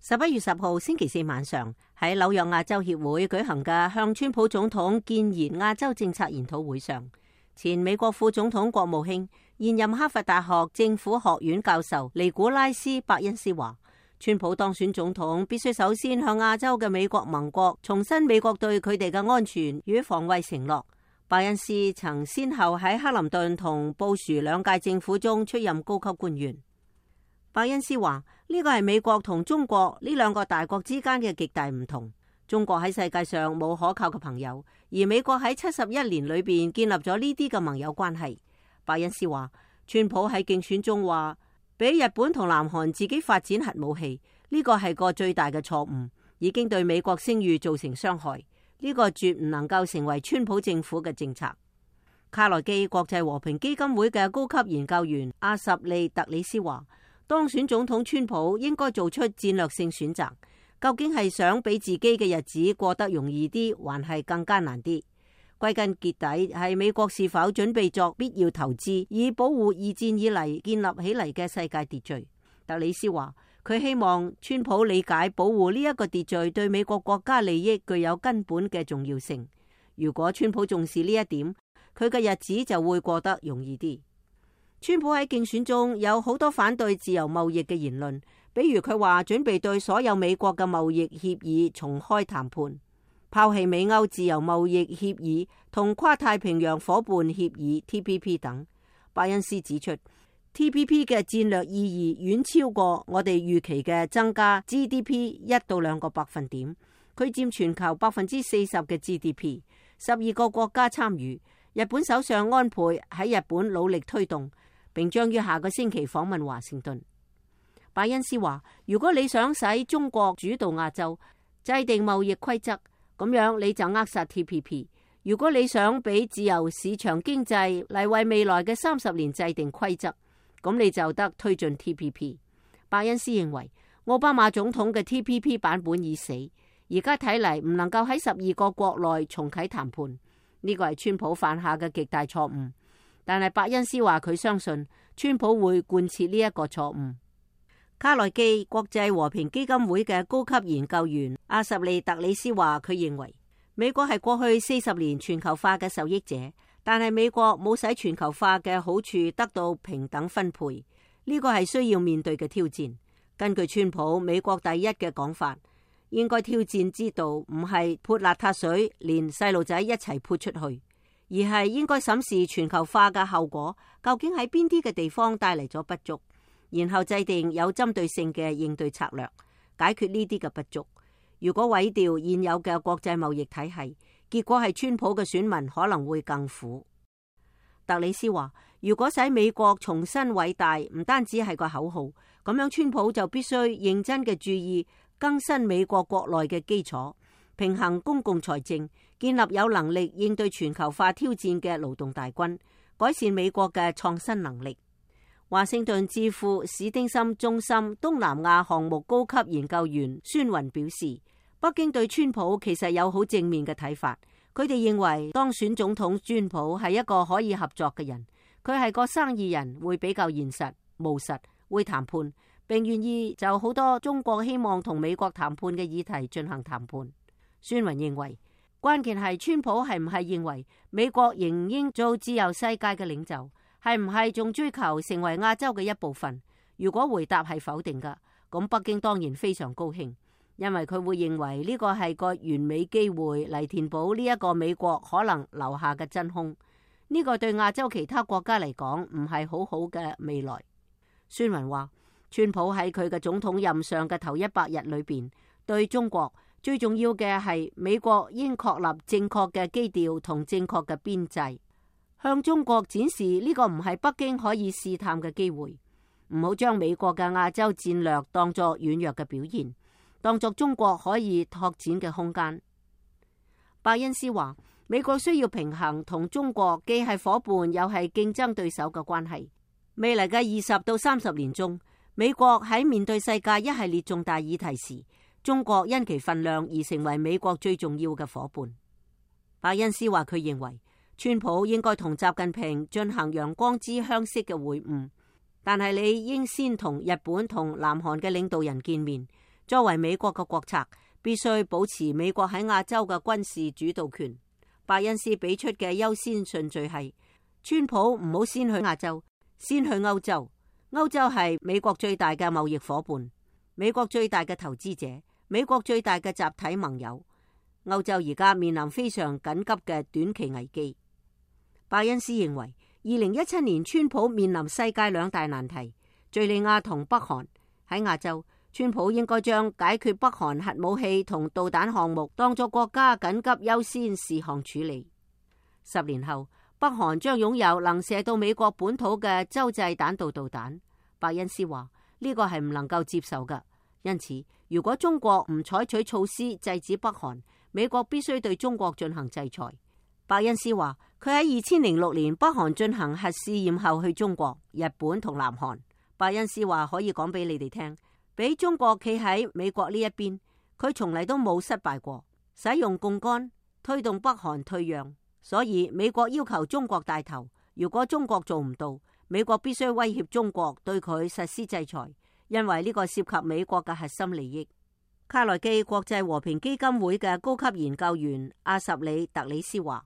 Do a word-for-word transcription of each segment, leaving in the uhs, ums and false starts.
十一月十號星期四晚上，喺紐約亞洲協會舉行嘅向川普總統建言亞洲政策研討會上，前美國副總統國務卿、現任哈佛大學政府學院教授尼古拉斯·伯恩斯話，川普當選總統必須首先向亞洲嘅美國盟國重申美國對佢哋嘅安全與防衛承諾。伯恩斯曾先後喺克林頓同布殊兩屆政府中出任高級官員。伯恩斯話，呢個係美國同中國呢兩個大國之間嘅極大唔同。中國喺世界上冇可靠嘅朋友，而美國喺七十一年裏邊建立咗呢啲嘅盟友關係。伯恩斯話，川普喺競選中話俾日本同南韓自己發展核武器，呢個係個最大嘅錯誤，已經對美國聲譽造成傷害。呢個絕唔能夠成為川普政府嘅政策。卡內基國際和平基金會嘅高級研究員阿什利特里斯話，當選總統川普應該做出戰略性選擇，究竟係想俾自己嘅日子過得容易啲，還係更艱難啲？歸根結底係美國是否準備作必要投資，以保護二戰以嚟建立起嚟嘅世界秩序。特里斯話，佢希望川普理解保護呢一個秩序對美國國家利益具有根本嘅重要性。如果川普重視呢一點，佢嘅日子就會過得容易啲。川普喺競選中有好多反對自由貿易嘅言論，比如佢話準備對所有美國嘅貿易協議重開談判，拋棄美歐自由貿易協議同跨太平洋夥伴協議 T P P 等。伯恩斯指出， T P P 嘅戰略意義遠超過我哋預期嘅增加 G D P 一到兩個百分點，佢佔全球百分之四十嘅 G D P， 十二個國家參與。日本首相安倍喺日本努力推動，並將於下個星期訪問華盛頓。伯恩斯話，如果你想使中國主導亞洲，制定貿易規則，咁樣你就扼殺 T P P。如果你想俾自由市場經濟嚟為未來嘅三十年制定規則，咁你就得推進 T P P。伯恩斯認為，奧巴馬總統嘅 T P P 版本已死，而家睇嚟唔能夠喺十二個國內重啟談判。呢個係川普犯下嘅極大錯誤，但係伯恩斯話佢相信川普會貫徹呢一個錯誤。卡內基國際和平基金會嘅高級研究員阿什利特里斯話，佢認為美國係過去四十年全球化嘅受益者，但係美國冇使全球化嘅好處得到平等分配，呢個係需要面對嘅挑戰。根據川普美國第一嘅講法，應該挑戰之道唔係潑邋遢水，連細路仔一齊潑出去，而係應該審視全球化嘅後果，究竟喺邊啲嘅地方帶嚟咗不足，然後制定有針對性嘅應對策略，解決呢啲嘅不足。如果毀掉現有嘅國際貿易體系，結果係川普嘅選民可能會更苦。特里斯話，如果使美國重新偉大，唔單止係個口號，咁樣川普就必須認真嘅注意更新美國國內嘅基礎，平衡公共財政，建立有能力應對全球化挑戰嘅勞動大軍，改善美國嘅創新能力。華盛頓智庫史丁森中心東南亞項目高級研究員孫雲表示，北京對川普其實有好正面嘅睇法，佢哋認為當選總統川普係一個可以合作嘅人，佢係個生意人，會比較現實務實，會談判，並願意就好多中國希望同美國談判嘅議題進行談判。孫雲認為，關鍵係川普係唔係認為美國仍應做自由世界嘅領袖，係唔係仲追求成為亞洲嘅一部分？如果回答係否定㗎，咁北京當然非常高興，因為佢會認為呢個係個完美機會嚟填補呢一個美國可能留下嘅真空。呢個對亞洲其他國家嚟講唔係好好嘅未來。孫雲話，川普喺佢嘅總統任上嘅頭一百日裏邊，對中國最重要嘅係美國應確立正確嘅基調同正確嘅邊際，向中國展示呢個唔係北京可以試探嘅機會，唔好將美國嘅亞洲戰略當作軟弱嘅表現，當作中國可以拓展嘅空間。伯恩斯話，美國需要平衡同中國既係夥伴又係競爭對手嘅關係。未來嘅二十到三十年中，美國喺面對世界一系列重大議題時，中國因其份量而成為美國最重要嘅夥伴。伯恩斯話，佢認為川普應該同習近平進行陽光之鄉式嘅會晤，但係你應先同日本同南韓嘅領導人見面，作為美國嘅國策，必須保持美國喺亞洲嘅軍事主導權。伯恩斯俾出嘅優先順序係：川普唔好先去亞洲，先去歐洲。歐洲係美國最大嘅貿易夥伴，美國最大嘅投資者，美國最大嘅集體盟友。歐洲而家面臨非常緊急嘅短期危機。伯恩斯認為，二零一七年川普面臨世界兩大難題：敘利亞同北韓。喺亞洲，川普應該將解決北韓核武器同導彈項目當作國家緊急優先事項處理。十年後，北韓將擁有能射到美國本土嘅洲際彈道導彈。伯恩斯話呢個係唔能夠接受嘅，因此如果中國唔採取措施制止北韓，美國必須對中國進行制裁。伯恩斯話佢喺二千零六年北韓進行核試驗後去中國、日本同南韓。伯恩斯話可以講俾你哋聽，俾中國企喺美國呢一邊，佢從嚟都冇失敗過，使用槓桿推動北韓退讓。所以美國要求中國帶頭，如果中國做唔到，美國必須威脅中國對佢實施制裁，因為呢個涉及美國嘅核心利益。卡內基國際和平基金會嘅高級研究員阿什里特里斯話，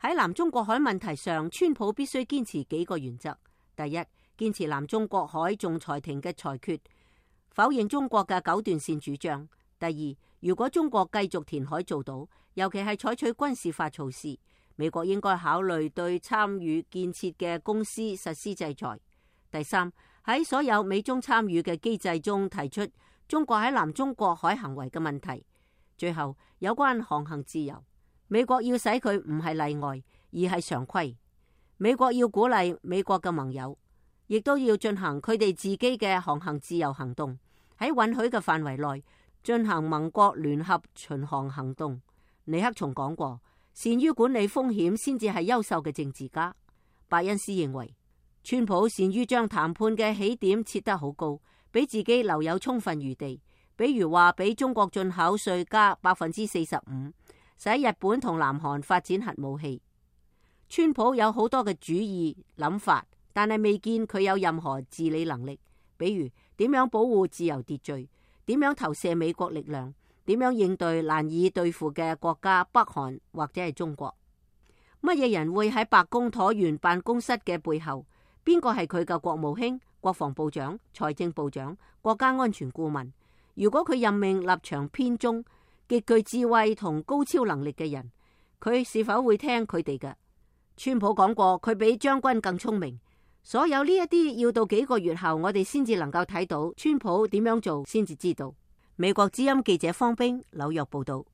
喺南中國海問題上，川普必須堅持幾個原則。第一，堅持南中國海仲裁庭嘅裁決，否認中國嘅九段線主張。第二，如果中國繼續填海做到，尤其係採取軍事化措施，美國應該考慮對參與建設嘅公司實施制裁。第三，喺所有美中參與嘅機制中提出中國喺南中國海行為嘅問題。最後，有關航行自由，美國要使佢唔係例外，而係常規。美國要鼓勵美國嘅盟友，亦都要進行佢哋自己嘅航行自由行動，喺允許嘅範圍內進行盟國聯合巡航行動。尼克松講過，善於管理風險先至係優秀嘅政治家。伯恩斯認為，川普善於將談判嘅起點設得好高，俾自己留有充分餘地。比如話俾中國進口稅加百分之四十五，使日本同南韓發展核武器。川普有好多嘅主意諗法，但係未見佢有任何治理能力。比如點樣保護自由秩序，點樣投射美國力量，點樣應對難以對付嘅國家北韓或者係中國。乜嘢人會喺白宮橢圓辦公室嘅背後？邊個係佢嘅國務卿、國防部長、財政部長、國家安全顧問？如果佢任命立場偏中、極具智慧同高超能力嘅人，佢是否會聽佢哋嘅？川普講過，佢比將軍更聰明。所有呢一啲要到幾個月後，我哋先至能夠睇到川普點樣做，先至知道。美國之音記者方冰紐約報道。